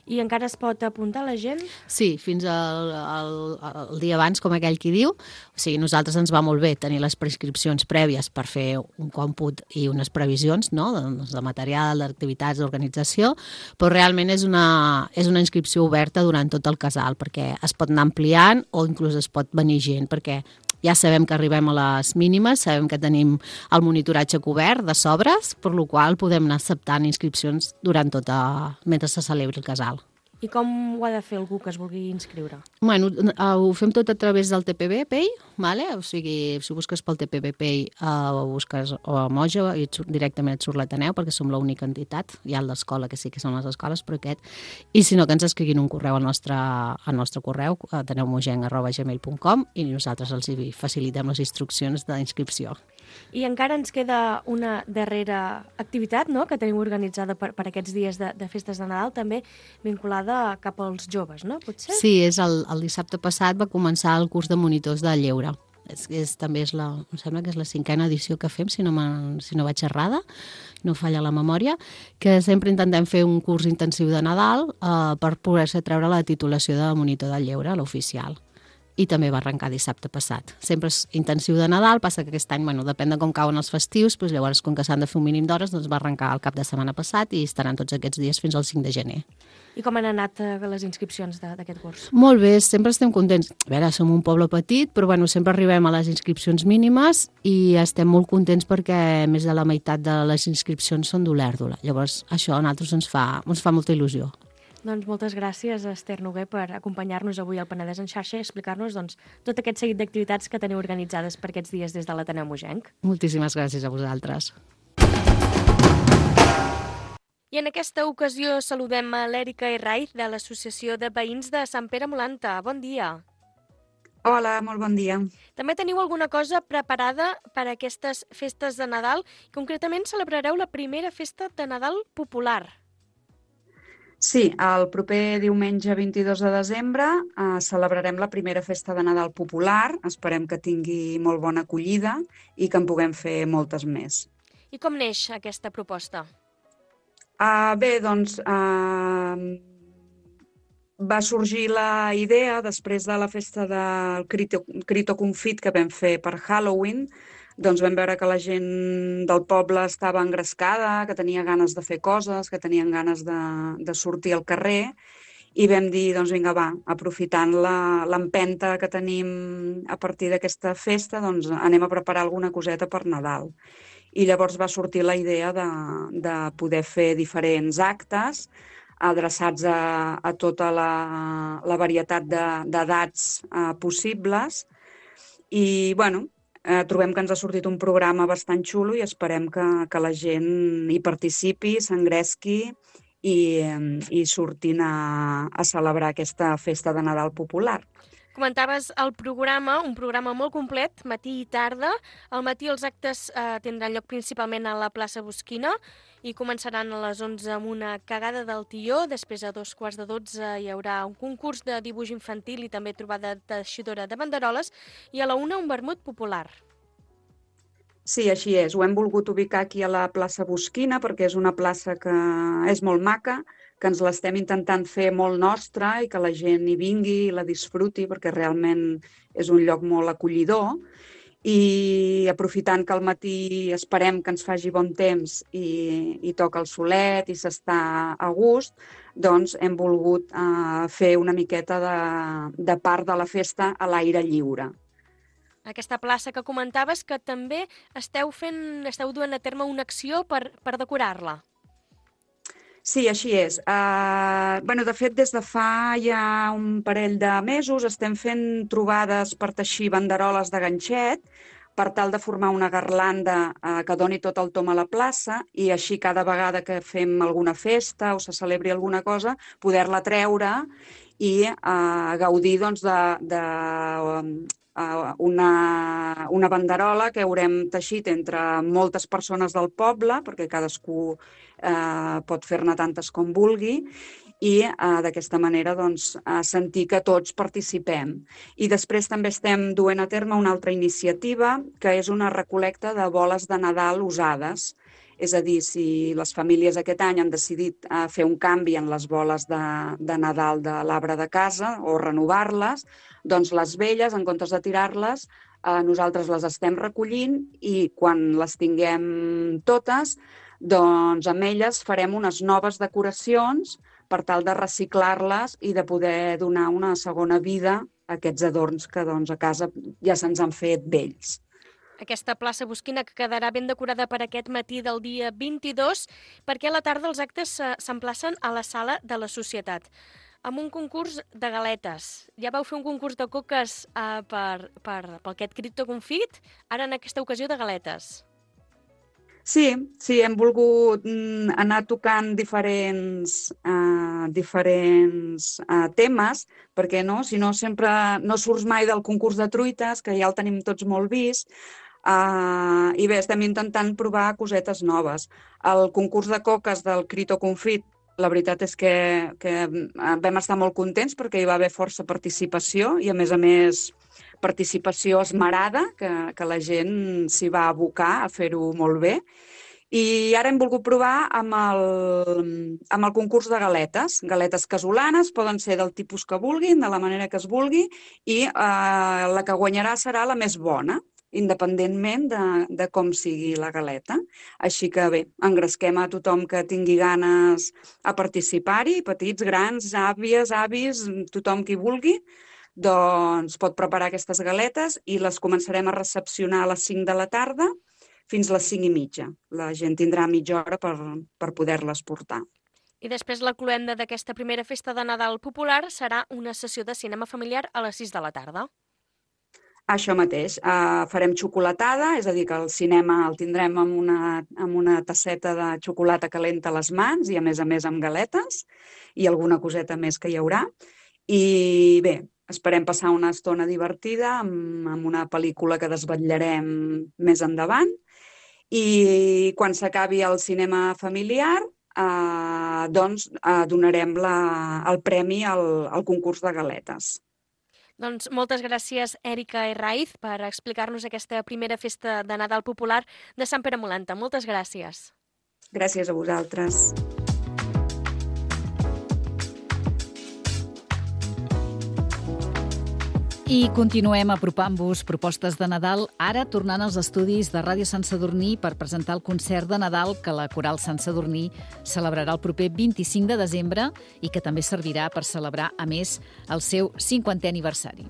I encara es pot apuntar la gent? Sí, fins al dia abans, com aquell qui diu. O sigui, nosaltres ens va molt bé tenir les prescripcions prèvies per fer un còmput i unes previsions, no?, de material, d'activitats, d'organització, però realment és una inscripció oberta durant tot el casal, perquè es pot anar ampliant o inclús es pot venir gent, perquè ja sabem que arribem a les mínimes, sabem que tenim el monitoratge cobert de sobres, per la qual podem anar acceptant inscripcions durant mentre se celebri el casal. I com ho ha de fer algú que es vulgui inscriure? Bueno, ho fem tot a través del TPB Pay, vale? O sigui, si busques pel TPB Pay o busques a Moja i directament et surt l'Ateneu, perquè som l'única entitat. Hi ha l'escola, que sí que són les escoles, però aquest. I si no, que ens escriguin un correu al nostre correu, ateneumogenc@gmail.com, i nosaltres els facilitem les instruccions d'inscripció. I encara ens queda una darrera activitat, no?, que tenim organitzada per aquests dies de festes de Nadal, també vinculada cap als joves, no? Potser? Sí, el dissabte passat va començar el curs de monitors de lleure. També em sembla que és la 5a edició que fem, si no vaig errada, no falla la memòria, que sempre intentem fer un curs intensiu de Nadal per poder-se treure la titulació de monitor de lleure, l'oficial. I també va arrencar dissabte passat. Sempre és intensiu de Nadal, passa que aquest any, depèn de com cauen els festius, doncs llavors, com que s'han de fer un mínim d'hores, doncs va arrencar el cap de setmana passat i estaran tots aquests dies fins al 5 de gener. I com han anat les inscripcions d'aquest curs? Molt bé, sempre estem contents. A veure, som un poble petit, però sempre arribem a les inscripcions mínimes i estem molt contents perquè més de la meitat de les inscripcions són d'Olèrdola. Llavors, això a nosaltres ens fa molta il·lusió. Doncs moltes gràcies, Esther Noguer, per acompanyar-nos avui al Penedès en xarxa i explicar-nos tot aquest seguit d'activitats que teniu organitzades per aquests dies des de l'Ateneu Mogenc. Moltíssimes gràcies a vosaltres. I en aquesta ocasió saludem a l'Èrica Herraiz de l'Associació de Veïns de Sant Pere Molanta. Bon dia. Hola, molt bon dia. També teniu alguna cosa preparada per a aquestes festes de Nadal. Concretament celebrareu la primera festa de Nadal popular. Sí, el proper diumenge 22 de desembre celebrarem la primera festa de Nadal popular. Esperem que tingui molt bona acollida i que en puguem fer moltes més. I com neix aquesta proposta? Bé, doncs va sorgir la idea després de la festa del Crito Confit que vam fer per Halloween. Doncs vam veure que la gent del poble estava engrescada, que tenia ganes de fer coses, que tenien ganes de sortir al carrer i vam dir, doncs vinga, va, aprofitant l'empenta que tenim a partir d'aquesta festa, doncs anem a preparar alguna coseta per Nadal. I llavors va sortir la idea de poder fer diferents actes adreçats a tota la varietat d'edats possibles i, bueno, trobem que ens ha sortit un programa bastant xulo i esperem que la gent hi participi, s'engresqui i surtin a celebrar aquesta festa de Nadal popular. Comentaves el programa, un programa molt complet, matí i tarda. Al matí els actes tindran lloc principalment a la plaça Bosquina i començaran a les 11 amb una cagada del tió. Després a 11:45 hi haurà un concurs de dibuix infantil i també trobada teixidora de banderoles i a la 1 un vermut popular. Sí, així és. Ho hem volgut ubicar aquí a la plaça Bosquina perquè és una plaça que és molt maca, que ens l'estem intentant fer molt nostra i que la gent hi vingui i la disfruti perquè realment és un lloc molt acollidor. I aprofitant que al matí esperem que ens faci bon temps i toca el solet i s'està a gust, doncs hem volgut fer una miqueta de part de la festa a l'aire lliure. Aquesta plaça que comentaves que també esteu duent a terme una acció per decorar-la. Sí, així és. De fet, des de fa ja un parell de mesos estem fent trobades per teixir banderoles de ganxet per tal de formar una garlanda que doni tot el tom a la plaça i així cada vegada que fem alguna festa o se celebri alguna cosa, poder-la treure i gaudir una banderola que haurem teixit entre moltes persones del poble, perquè cadascú pot fer-ne tantes com vulgui, i d'aquesta manera sentir que tots participem. I després també estem duent a terme una altra iniciativa, que és una recol·lecta de boles de Nadal usades. És a dir, si les famílies aquest any han decidit fer un canvi en les boles de Nadal de l'arbre de casa o renovar-les, doncs les velles, en comptes de tirar-les, nosaltres les estem recollint i quan les tinguem totes, doncs amb elles farem unes noves decoracions per tal de reciclar-les i de poder donar una segona vida a aquests adorns que a casa ja se'ns han fet vells. Aquesta plaça Bosquina que quedarà ben decorada per aquest matí del dia 22, perquè a la tarda els actes s'emplacen a la sala de la Societat. amb un concurs de galetes. Ja vau fer un concurs de coques per aquest cripto confit, ara en aquesta ocasió de galetes. Sí, hem volgut anar tocant diferents temes, perquè no? Si no, sempre no surts mai del concurs de truites, que ja el tenim tots molt vist, i bé, estem intentant provar cosetes noves. El concurs de coques del Crito Confit, la veritat és que vam estar molt contents perquè hi va haver força participació i, a més, participació esmerada, que la gent s'hi va abocar a fer-ho molt bé. I ara hem volgut provar amb el concurs de galetes. Galetes casolanes, poden ser del tipus que vulguin, de la manera que es vulgui, i la que guanyarà serà la més bona, independentment de com sigui la galeta. Així que bé, engresquem a tothom que tingui ganes a participar-hi, petits, grans, àvies, avis, tothom qui vulgui, doncs pot preparar aquestes galetes i les començarem a recepcionar a les 5 de la tarda fins a les 5:30. La gent tindrà mitja hora per poder-les portar. I després la cloenda d'aquesta primera festa de Nadal popular serà una sessió de cinema familiar a les 6 de la tarda. Això mateix, farem xocolatada, és a dir, que el cinema el tindrem amb una tasseta de xocolata calenta a les mans i, a més amb galetes i alguna coseta més que hi haurà. I bé, esperem passar una estona divertida amb una pel·lícula que desvetllarem més endavant i quan s'acabi el cinema familiar doncs donarem el premi al concurs de galetes. Doncs moltes gràcies, Èrica Herraiz, per explicar-nos aquesta primera festa de Nadal popular de Sant Pere Molanta. Moltes gràcies. Gràcies a vosaltres. I continuem apropant-vos propostes de Nadal, ara tornant als estudis de Ràdio Sant Sadurní per presentar el concert de Nadal que la Coral Sant Sadurní celebrarà el proper 25 de desembre i que també servirà per celebrar, a més, el seu 50è aniversari.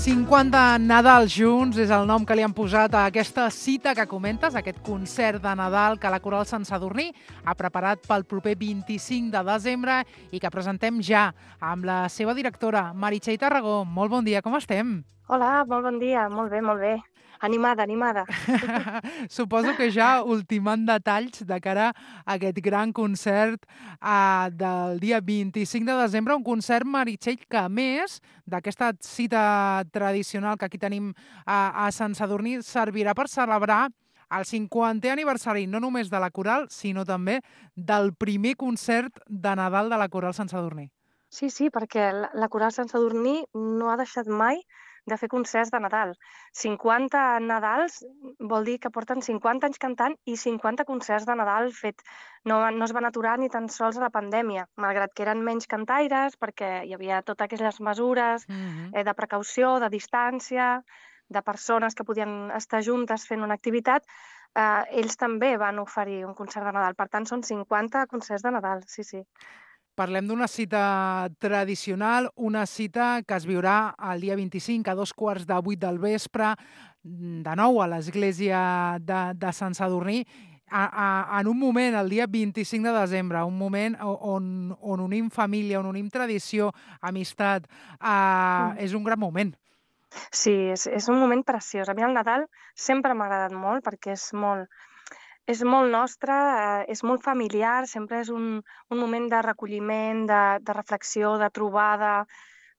50 Nadal junts és el nom que li han posat a aquesta cita que comentes, aquest concert de Nadal que la Coral Sant Sadurní ha preparat pel proper 25 de desembre i que presentem ja amb la seva directora, Meritxell Tarragó. Molt bon dia, com estem? Hola, molt bon dia, molt bé, molt bé. Animada. Suposo que ja ultimant detalls de cara a aquest gran concert del dia 25 de desembre, un concert, Meritxell, que a més d'aquesta cita tradicional que aquí tenim a Sant Sadurní, servirà per celebrar el 50è aniversari no només de la Coral, sinó també del primer concert de Nadal de la Coral Sant Sadurní. Sí, perquè la Coral Sant Sadurní no ha deixat mai de fer concerts de Nadal. 50 Nadals vol dir que porten 50 anys cantant i 50 concerts de Nadal fet. No es van aturar ni tan sols a la pandèmia, malgrat que eren menys cantaires, perquè hi havia totes aquelles mesures de precaució, de distància, de persones que podien estar juntes fent una activitat. Ells també van oferir un concert de Nadal. Per tant, són 50 concerts de Nadal, sí. Parlem d'una cita tradicional, una cita que es viurà el dia 25 a 2:15 del vespre, de nou a l'església de Sant Sadurní, en un moment, el dia 25 de desembre, un moment on unim família, on unim tradició, amistat. És un gran moment. Sí, és un moment preciós. A mi el Nadal sempre m'ha agradat molt perquè és molt nostre, és molt familiar, sempre és un moment de recolliment, de reflexió, de trobada,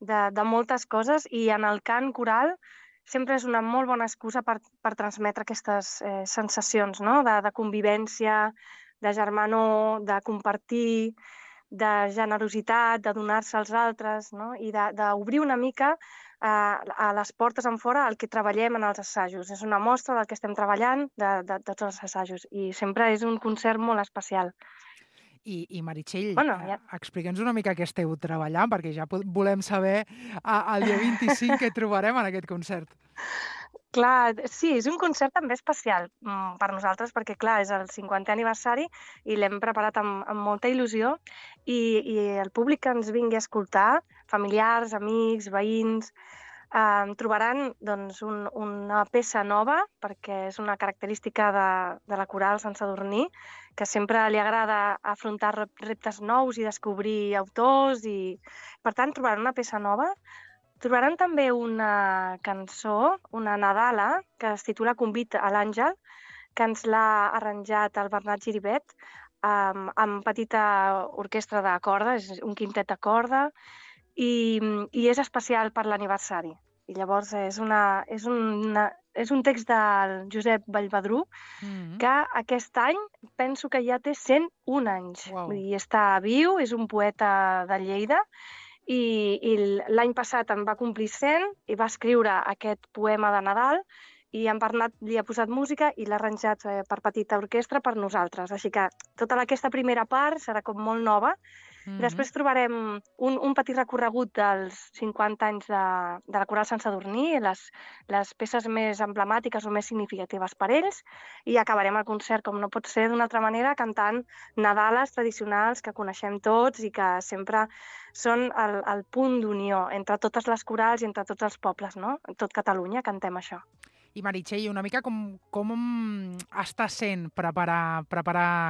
de moltes coses, i en el cant coral sempre és una molt bona excusa per transmetre aquestes sensacions, no? De convivència, de germanor, de compartir, de generositat, de donar-se als altres, no? I d'obrir una mica a les portes en fora el que treballem en els assajos. És una mostra del que estem treballant de tots els assajos i sempre és un concert molt especial. I Meritxell, explica'ns una mica què esteu treballant, perquè ja volem saber el dia 25 què trobarem en aquest concert. Clar, sí, és un concert també especial per nosaltres, perquè clar, és el 50è aniversari i l'hem preparat amb molta il·lusió i el públic que ens vingui a escoltar, familiars, amics, veïns, trobaran doncs, una peça nova, perquè és una característica de la coral Sant Sadurní, que sempre li agrada afrontar reptes nous i descobrir autors, i per tant trobaran una peça nova. Trobaran també una cançó, una nadala, que es titula Convit a l'Àngel, que ens l'ha arranjat el Bernat Giribet, amb petita orquestra de corda, és un quintet de corda, i és especial per l'aniversari. I llavors és un text del Josep Vallvedrú, que aquest any penso que ja té 101 anys. Wow. Vull dir, està viu, és un poeta de Lleida, i l'any passat en va complir 100 i va escriure aquest poema de Nadal, i en Bernat li ha posat música i l'ha arranjat per petita orquestra per nosaltres. Així que tota aquesta primera part serà com molt nova. Després trobarem un petit recorregut dels 50 anys de la Coral Sant Sadurní, les peces més emblemàtiques o més significatives per ells, i acabarem el concert, com no pot ser d'una altra manera, cantant nadales tradicionals que coneixem tots i que sempre són el punt d'unió entre totes les corals i entre tots els pobles, no? En tot Catalunya cantem això. I Meritxell, una mica com està sent preparar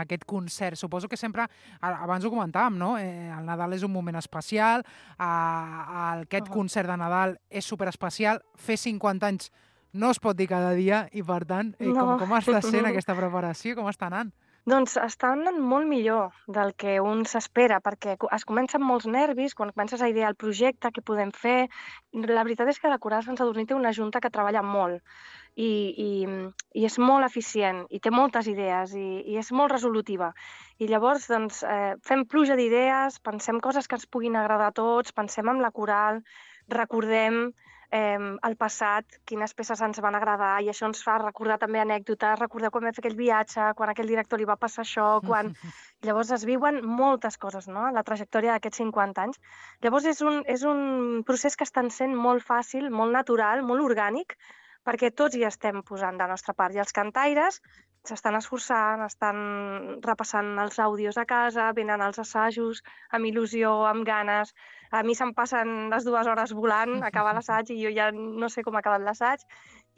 aquest concert? Suposo que sempre, abans ho comentàvem, no? El Nadal és un moment especial, aquest concert de Nadal és superespecial, fer 50 anys no es pot dir cada dia i, per tant, com està sent aquesta preparació? Com està anant? Doncs està anant molt millor del que un s'espera, perquè es comença amb molts nervis, quan comences a idear el projecte, què podem fer. La veritat és que la Coral Sant Sadurní té una junta que treballa molt i és molt eficient i té moltes idees i és molt resolutiva. I llavors doncs, fem pluja d'idees, pensem coses que ens puguin agradar a tots, pensem en la coral, recordem el passat, quines peces ens van agradar, i això ens fa recordar també anècdotes, recordar quan vam fer aquell viatge, quan a aquell director li va passar això, quan... Llavors es viuen moltes coses, no?, la trajectòria d'aquests 50 anys. Llavors és un procés que està sent molt fàcil, molt natural, molt orgànic, perquè tots hi estem posant de la nostra part, i els cantaires s'estan esforçant, estan repassant els àudios a casa, venen als assajos amb il·lusió, amb ganes. A mi se'm passen les 2 hores volant, acabar l'assaig, i jo ja no sé com ha acabat l'assaig,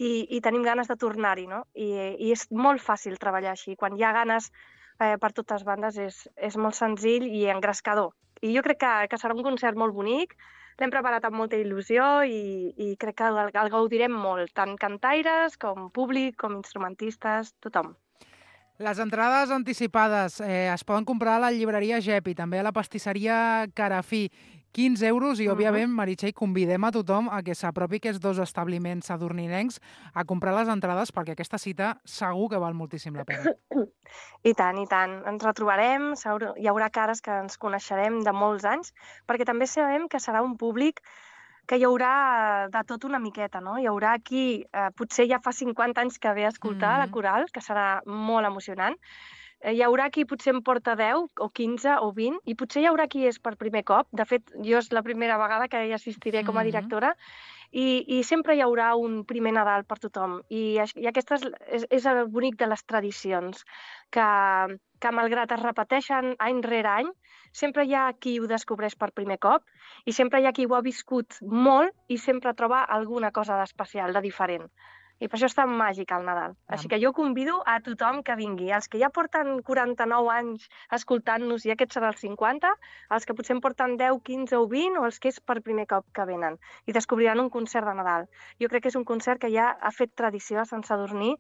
i tenim ganes de tornar-hi, no? I és molt fàcil treballar així. Quan hi ha ganes per totes bandes és molt senzill i engrescador. I jo crec que serà un concert molt bonic, l'hem preparat amb molta il·lusió i crec que el gaudirem molt, tant cantaires com públic, com instrumentistes, tothom. Les entrades anticipades es poden comprar a la llibreria Gep i també a la pastisseria Carafí. 15 euros i, òbviament, Meritxell, convidem a tothom a que s'apropi aquests 2 establiments sadurninencs a comprar les entrades, perquè aquesta cita segur que val moltíssim la pena. I tant, i tant. Ens retrobarem, hi haurà cares que ens coneixerem de molts anys, perquè també sabem que serà un públic que hi haurà de tot una miqueta, no? Hi haurà qui potser ja fa 50 anys que ve a escoltar la coral, que serà molt emocionant. Hi haurà qui potser en porta 10 o 15 o 20, i potser hi haurà qui és per primer cop. De fet, jo és la primera vegada que hi assistiré com a directora, i sempre hi haurà un primer Nadal per tothom. I aquest és el bonic de les tradicions, que malgrat es repeteixen any rere any, sempre hi ha qui ho descobreix per primer cop, i sempre hi ha qui ho ha viscut molt i sempre troba alguna cosa d'especial, de diferent. I per això és tan màgic el Nadal. Així que jo convido a tothom que vingui. Els que ja porten 49 anys escoltant-nos, i aquest serà el 50, els que potser en porten 10, 15 o 20, o els que és per primer cop que venen. I descobriran un concert de Nadal. Jo crec que és un concert que ja ha fet tradició a Sant Sadurní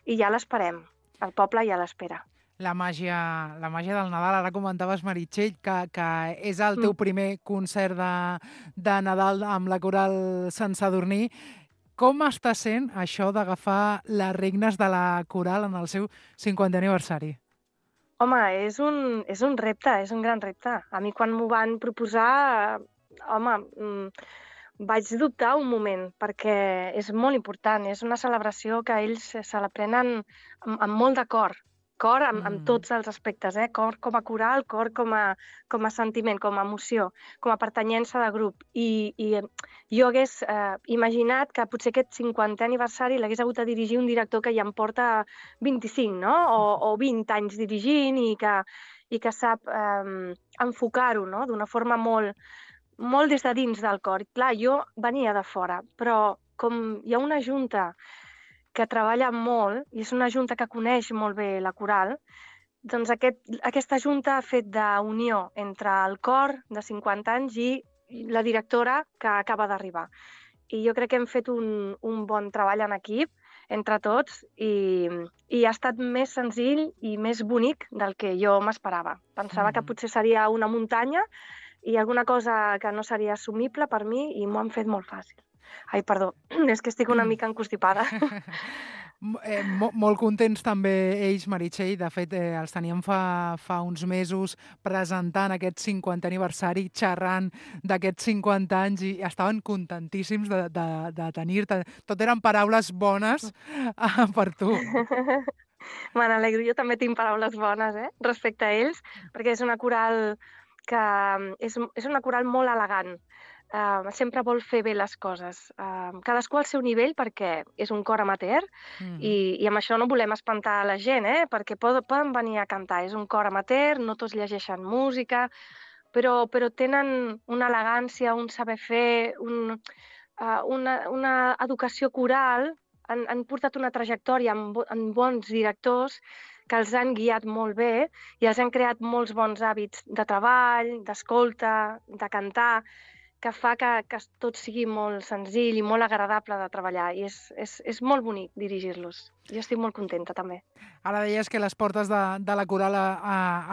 i ja l'esperem. El poble ja l'espera. La màgia del Nadal. Ara comentaves, Meritxell, que és el teu primer concert de Nadal amb la Coral Sant Sadurní. Com està sent això d'agafar les regnes de la coral en el seu 50è aniversari? Home, és un repte, és un gran repte. A mi quan m'ho van proposar, vaig dubtar un moment, perquè és molt important, és una celebració que ells se la prenen amb molt de cor. Cor amb tots els aspectes, cor com a coral, cor com a sentiment, com a emoció, com a pertanyença de grup. I jo hagués imaginat que potser aquest 50è aniversari l'hagués hagut de dirigir un director que ja em porta 25, no? O 20 anys dirigint, i que sap enfocar-ho, no?, d'una forma molt molt des de dins del cor. Clar, jo venia de fora, però com hi ha una junta que treballa molt, i és una junta que coneix molt bé la coral, doncs aquesta junta ha fet d'unió entre el cor de 50 anys i la directora que acaba d'arribar. I jo crec que hem fet un bon treball en equip entre tots i ha estat més senzill i més bonic del que jo m'esperava. Pensava que potser seria una muntanya i alguna cosa que no seria assumible per mi i m'ho han fet molt fàcil. Ai, perdó, és que estic una mica encostipada. Molt contents també ells, Meritxell. De fet, els teníem fa uns mesos presentant aquest 50è aniversari, xerrant d'aquests 50 anys i estaven contentíssims de tenir-te. Tot eren paraules bones per tu. Me n'alegro, jo també tinc paraules bones respecte a ells, perquè és una coral que és una coral molt elegant. Sempre vol fer bé les coses. Cadascú al seu nivell, perquè és un cor amateur i amb això no volem espantar la gent, perquè poden venir a cantar. És un cor amateur, no tots llegeixen música, però tenen una elegància, un saber fer, una educació coral. Han portat una trajectòria amb bons directors que els han guiat molt bé i els han creat molts bons hàbits de treball, d'escolta, de cantar, que fa que tot sigui molt senzill i molt agradable de treballar. I és molt bonic dirigir-los. Jo estic molt contenta, també. Ara deies que les portes de la coral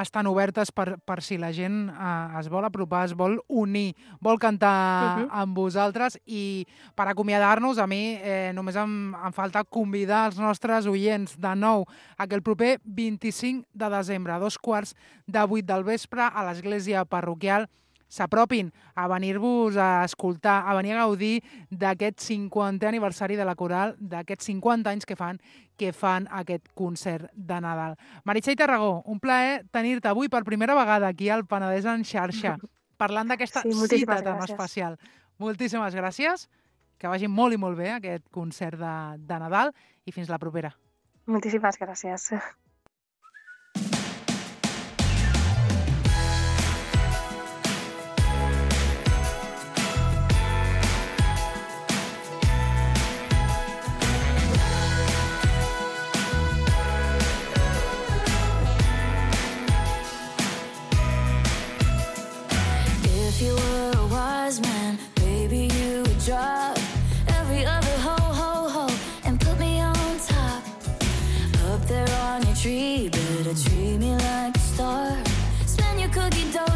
estan obertes per si la gent es vol apropar, es vol unir, vol cantar amb vosaltres. I per acomiadar-nos, a mi només em falta convidar els nostres oients de nou a que el proper 25 de desembre, a 7:15 del vespre, a l'església parroquial, s'apropin a venir-vos a escoltar, a venir a gaudir d'aquest 50è aniversari de la coral, d'aquests 50 anys que fan aquest concert de Nadal. Meritxell Tarragó, un plaer tenir-te avui per primera vegada aquí al Penedès en xarxa, parlant d'aquesta cita tan especial. Moltíssimes gràcies, que vagi molt i molt bé aquest concert de Nadal i fins la propera. Moltíssimes gràcies. If you were a wise man, maybe you would drop every other ho and put me on top. Up there on your tree, better treat me like a star. Spend your cookie dough,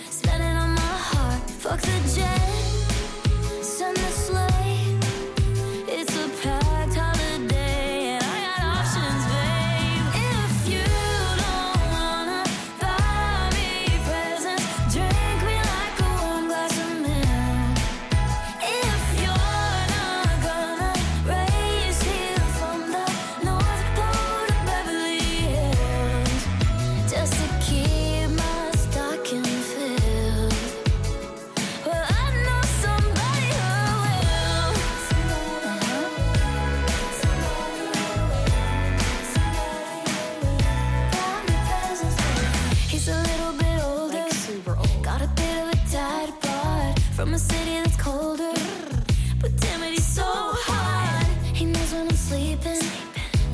spend it on my heart. Fuck the jet, send the sleigh. It's a packed holiday and I got options, babe. If you don't wanna buy me presents, drink me like a warm glass of milk. If you're not gonna race here from the North Pole to Beverly Hills, just to keep my stocking filled, well, I know somebody who will. He's a little bit older, like super old. Got a bit of a dad bod from a city that's colder. But damn it, he's so hot. He knows when I'm sleeping,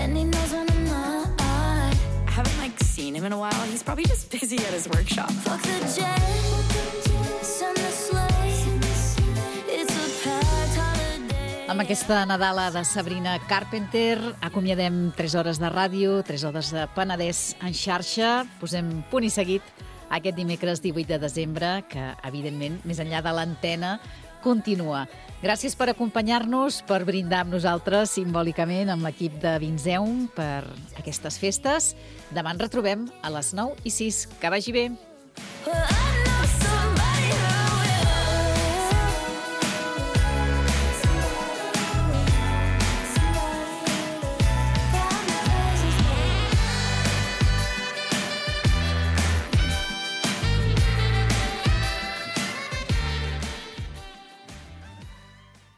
and he knows when I'm not. I haven't seen him in a while. He's probably just busy at his workshop. Fuck the jet, send the sleigh. It's a packed holiday. Amb aquesta Nadala de Sabrina Carpenter acomiadem 3 hores de ràdio, 3 hores de Penedès en xarxa. Posem punt i seguit aquest dimecres 18 de desembre, que, evidentment, més enllà de l'antena, continua. Gràcies per acompanyar-nos, per brindar amb nosaltres simbòlicament amb l'equip de Vinzeum per aquestes festes. Demà ens retrobem a les 9:06. Que vagi bé. Well,